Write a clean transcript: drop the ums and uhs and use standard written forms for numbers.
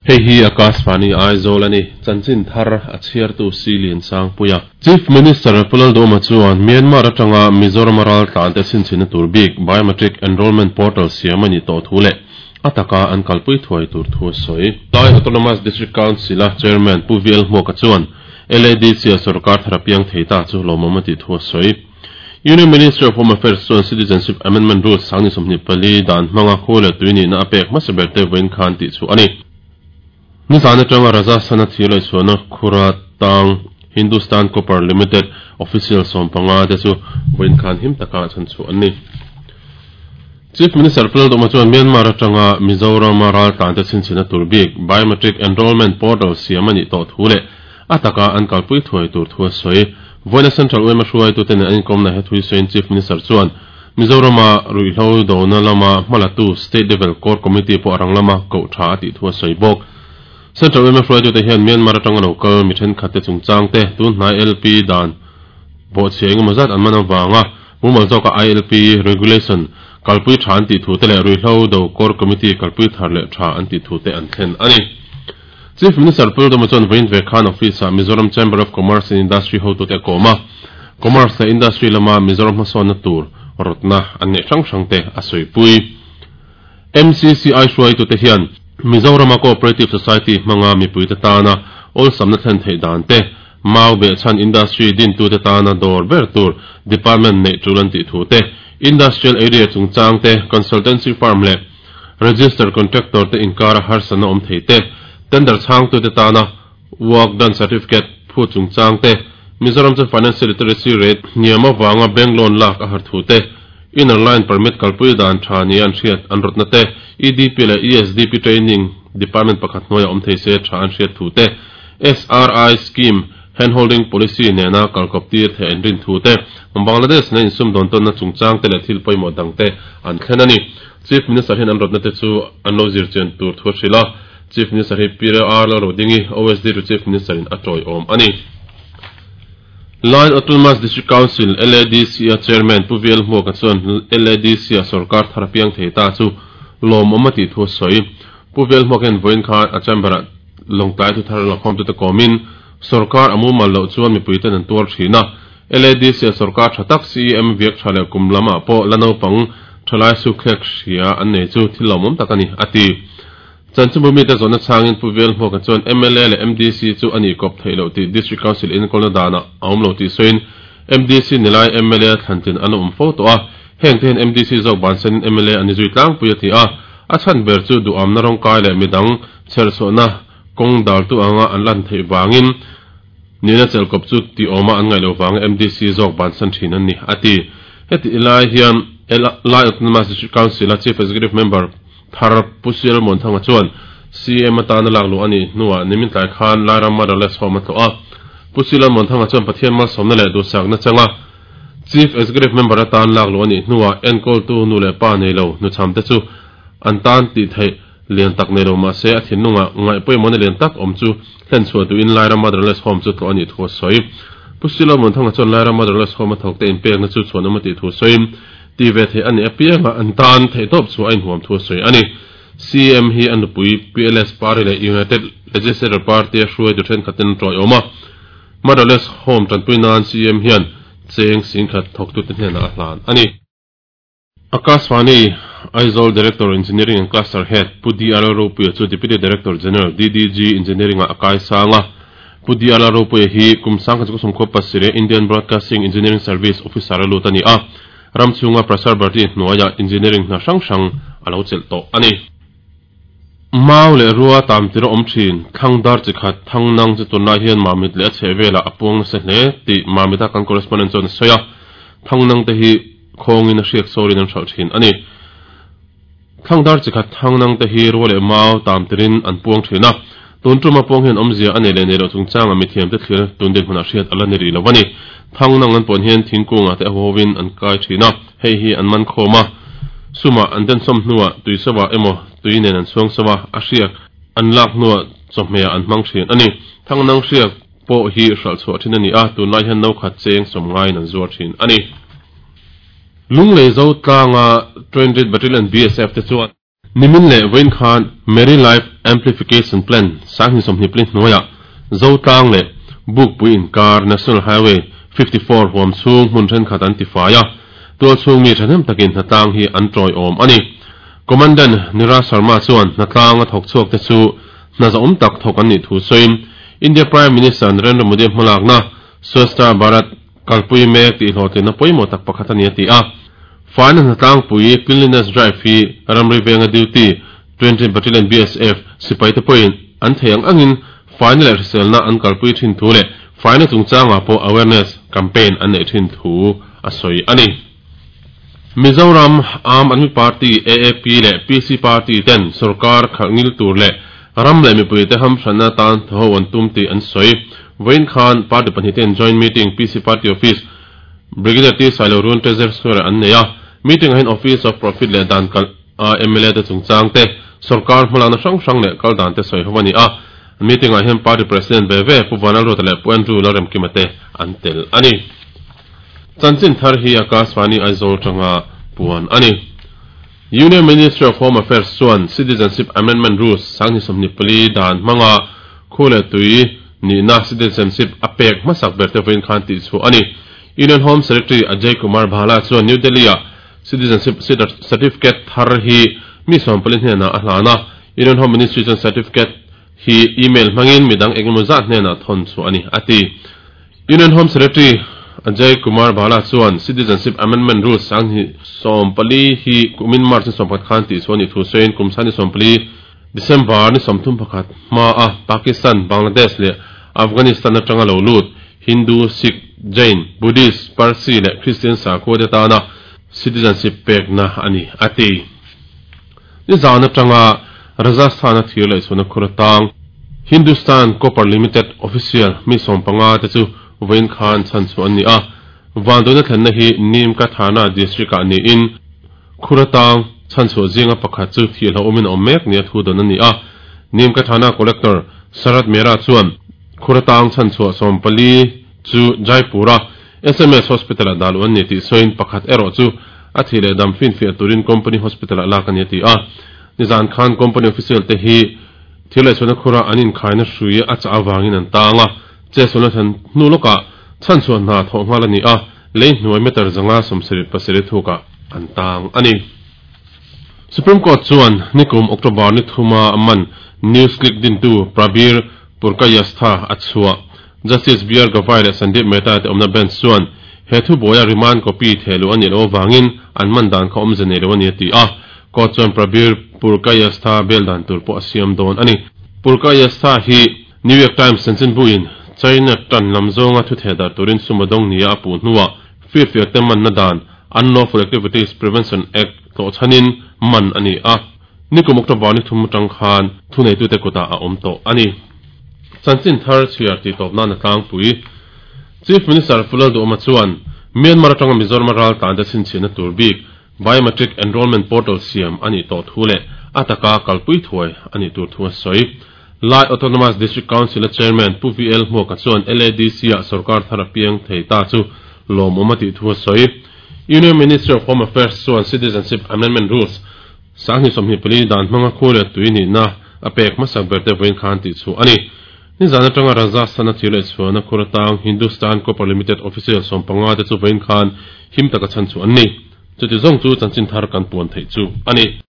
Hei hi Akashvani Aizawl a ni, chanchin thar a chhiartu Si Liansangpuia. Chief Minister Pu Lalduhoma chuan Myanmar atanga Mizoram a raltlante chhinchhinna tur bik Biometric Enrolment Portal siam a nih tawh thu leh a taka an kalpui thuai tur thu a sawi. Lai Autonomous District Council-a Chairman Pu VL Hmuaka chuan LADC-a sorkar thar a piang thei ta chu lawmawm a tih thu a sawi. Union Ministry of Home Affairs chuan Citizenship Amendment Rules 2024 dan hmanga khu leh tui nihna a pek hmasa ber te vawiin khan tih chhuah a ni. Nizan atanga Rajasthan-a thir leh chhuahna khura tang Hindustan Copper Limited official 15 te chu vawiin khan him taka chhan chhuah an ni. Chief Minister Pu Lalduhma chuan Myanmar atanga Mizoram-a raltlante chhinchhinna tur bik Biometric Enrolment Portal siam a nih tawh thu leh a taka an kalpui thuai tur thu a sawi. Vawiina Central yma hruaitute nen an inkawmna he thui sawiin Chief Minister chuan Mizoram-a ruihhlo dona lama hmalatu State Level Core Committee pawh a rang lama koh tha a tih thu a sawi bawk. Central yma hruaitute hian Myanmar atanga lo kal mi thenkhatte chungchangte tun hnai LP dan bawhchhia engemaw zat an man avanga mumal zawka ILP Regulation kalpui tha an tih thute leh ruihhlo do Core Committee kalpui thar leh tha an tih thute an thlen a ni. Chief Minister Pu Lalduhoma chuan vawiin ve khan office-ah Mizoram Chamber of Commerce and Industry hotute a kawm a, Commerce leh Industry lama Mizoram hmasawnna tur rawtna an neih hrang hrangte a sawipui. MCCI hruaitute hian Mizorama Cooperative Society hmanga mipuite tana awlsamna thlen theih dan te, mau behchhan industry dintute tana dawr ber tur department neih tul an tih thu te, Industrial Area chungchang te, Consultancy firm leh Register Contractor te inkara harsatna awm thei te, Tender chhangtute tana Work Done Certificate phut chungchang te, Mizoram chu Financial Literacy Rate hniam avanga bank loan lak a har thu te, Inner Line Permit kalpui dan tha nia an hriat an rawtna te, EDP leh ESDP Training Department pakhat hnuaiah awm thei se tha an hriat thu te, SRI Scheme Handholding Policy nena kalkawp tir theih an rin thu te, Bangladesh nen insumdawn tawnna chungchang te leh thil pawimawh dang te an thlen a ni. Chief Minister hian an rawtna te chu an lo zir chian tur thu a hrilh a, Chief Minister hi Pi R Lalrodingi, OSD to Chief Minister in a tawiawm a ni. Line Autonomous District Council, LADC, a Chairman Pu VL Hmuaka chuan LADC a sorkar thar a piang thei ta chu lawmawm a tih thu a sawi. Pu VL Hmuaka hian vawiin khan a chamber-ah Lawngtlai thuthar lakhawmtute kawmin sorkar a mumal loh chuan mipuiten an tuar thin a, LADC a sorkar tha tak CEM viak tha leh kum lamah pawh la naupang thalai sukthlek hria an nei chu thil lawmawm tak a ni, a ti. Chanchinbu mite zawhna chhangin Pu Velhmuaka chuan mla leh MDC chu a nih kawp theih loh tih District Council inkawlna danah a awm lo tih sawiin MDC nilai mla thlantlin an awm fo tawh a, heng te hian MDC zawk bansanin mla an ni zui tlangpui a ti a, a chhan ber chu duhamna rawngkai leh midang chherchhuahna kawng daltu anga an lan theih vangin Nihna chelkawp chu tih awma an ngaih loh vanga MDC zawk bansan thin an ni, a ti. Heti lai hian Lai Autonomous District Council-a Chief Executive Member thar Pu Sial Muanthanga chuan CM atana lak luh a nih hnuah nimin tlai khan Lairam Motherless Home a tlawh a. Pu Sial Muanthanga chuan Pathian malsawmna leh duhsakna changa Chief Executive Member atan lak luh a nih hnuah enkawltu nu leh pa nei lo hnuchhamte chu an tan tih theih Lian tak nei lo mahse a thinlungah ngaih pawimawhna lian tak awm chu hlen chhuah duhin Lairam Motherless Home chu tlawh a nih thu a sawi. Pu Silo Munthanga chuan Lairam Motherless Home a thawkte inpekna chu chhuanawm a tih thu sawiin ti ve theih a nih apianga an tan theihtawp chhuah a inhuam thu a sawi a ni. CM hi a nupui PLS Party leh United Legislature Party a hruaitu thenkhatin an tawiawm a. Motherless Home tanpui nan CM hian cheng 10,000 thawktute hnenah a hlan a ni. Akashvani, Aizawl Director Engineering and Cluster Head Pu DR Ropuia chu Deputy Director General, DDG, Engineering ah a kai sang a. Pu DR Ropuia hi kum 1927 Indian Broadcasting Engineering Service Officer a lut a ni a, ram chhunga Prasar Bharati hnuaiah engineering hna hrang hrang a lo chelh tawh a ni. Mau leh rua tam tir a awm thin, thlang dar chi khat, thang nang chu tunlai hian Mamit leh a chheh velah a puang nasa hle tih Mamita kan correspondent chuan a sawi a. Thang nang te hi Khawngin a hriak sawrin an hralh thin a ni. Thlangdar chi khat thangnang te hi rua leh mau tam tirin an puang thin a. Tun tuma puang hian awmzia a nei leh nei loh chungchanga mithiamte thlir tun dinhmunah hriat a la ni rih lo a ni. Thangnang an puan hian thingkungah te a huhovin an kai thin a, hei hi an man khawm a. Sumah an densawm hnuah tui sova emaw tui nen an chhuang sova, a hriak an lak hnuah chawhmehah an hmang thin a ni. Thangnang hriak pawh hi hralh chhuah thin a ni a, tunlai hian no khat cheng sawm ngaiin an zuar thin a ni. Lunglei zo tlanga Trained Battalion BSF te chuan. Nimin leh vawiin khan Merry Life Amplification Plan 2024 hnuaiah Zotlang leh Bukpui inkar National Highway 54 huam chhung hmun thenkhat an tifai a, tualchhung mi thahnem takin hnatlang hi an tawiawm a ni. Commandant Niraj Sharma chuan hnatlang a thawk chhuak te chu hna zahawm tak thawk an nih thu sawiin India Prime Minister Narendra Modi hmalakna Swachh Bharat kalpui mek tih hlawhtlinna pawimawh tak pakhat a ni a ti a. Faina hnatlangpui Cleanliness Drive hi ramri venga duty 20 Battalion BSF sipaite pawhin an thei ang angin faina leh hriselna an kalpui thin thu leh faina chungchangah pawh awareness campaign an neih thin thu a sawi a ni. Mizoram Aam Aadmi Party, AAP, leh PC Party ten sorkar khalh ngil tur leh ram leh mipuite hamhranna tan thaw an tum tih an sawi. Vawiin khan party pahnihten joint meeting PC Party Office, Brigadier T Sailo Run Treasury Square-ah an nei a. Meeting-ah hian Office of Profit leh dan kalh a mla te chungchang te, sorkar hmalakna hrang hrang leh kal dan te sawi ho a ni a. Meeting-ah hian Party President ve ve Pu Vanlalruata leh Pu Andrew Lalremkima te an tel a ni. Chanchin thar hi Akashvani Aizawl tanga puan a ni. Union Ministry of Home Affairs chuan Citizenship Amendment Rules 2024 dan hmanga khu leh tui nihna citizenship a pek hmasak ber te vawiin khan tihchhuah a ni. Union Home Secretary Ajay Kumar Bhalla chuan New Delhi-ah citizenship certificate thar hi mi 40 hnenah a hlan a. Union Home Ministry chuan certificate hi email hmangin midang engemaw zat hnenah thawn chhuah a ni, a ti. Union Home Secretary Ajay Kumar Bhalla chuan Citizenship Amendment Rules 2024 hi kumin March ni 11 khan tihchhuah a nih thu sawiin kum 2024 December ni 31 hmaa Pakistan, Bangladesh leh Afghanistan atanga lo lut Hindu, Sikh, Jain, Buddhist, Parsi leh Christian sakhua te tana citizenship pekna a ni, a ti. Nizan atanga Rajasthan-a thir leh chhuahna khur atang Hindustan Copper Limited official mi 15 te chu vawiin khan chhan chhuah an ni a. Vanduaina thlenna hi Nimka Thana district-ah niin khur atang chhan chhuah zinga pakhat chu thih hlauhawmin a awm mek nia thu dawn a ni a. Nimka Thana Collector Sharad Mehra chuan khur atang chhan chhuah 14 chu Jaipur-a SMS Hospital-ah dah luh an ni tih sawiin pakhat erawh chu a thih leh dam finfiah turin Company Hospital-ah lak a ni a ti a. Nizan khan Company official te hi thil leh chhuahna khura an inkhaina hrui a chah avangin an tang a, chetsualna thlen hnu lawkah chhanchhuah hna thawh nghal a ni a, lei hnuai meter 577 thukah an tang a ni. Supreme Court chuan nikum October ni thuma man News Click dintu Prabir Purkayastha a chhuah. Justice BR Gavai leh Sandeep Mehta te awmna bench chuan he thubuaia remand copy theh luh a nih loh avangin an man dan kha awmze nei lo a ni a ti a. Court chuan Prabir Purkayastha bail dan tur pawh a siam dawn a ni. Purkayastha hi New York Times chanchinbuin China tan lam zawnga thu theh dar turin sum a dawng nia a puh hnuah firfiak te manna dan Unlawful Activities Prevention Act tlawhchhanin man a ni a. Nikum October ni thum atang khan thuneitute kutah a awm tawh a ni. Chanchin thar chhiar tih tawp nan a tlangpui. Chief Minister Pu Lalduhawma chuan Myanmar atanga Mizoram a raltlan te chhinchhiahna tur bik Biometric Enrolment Portal siam a nih tawh thu leh a taka kalpui thuai a nih tur thu a sawi. Lai Autonomous District Council-a Chairman Pu VL Hmuaka chuan LADC-ah sorkar thar a piang thei ta chu lawmawm a tih thu a sawi. Union Ministry of Home Affairs chuan Citizenship Amendment Rules 2024 dan hmanga khu leh tui nihna a pek hmasak ber te vawiin khan tih chhuah a ni. Nizan atanga Rajasthan a thir leh chhuahna khur atang Hindustan Copper Limited official 15 te chu vawiin khan him taka chhan chhuah an ni. Chuti zawng chu chanchin thar kan puan theih chu a ni.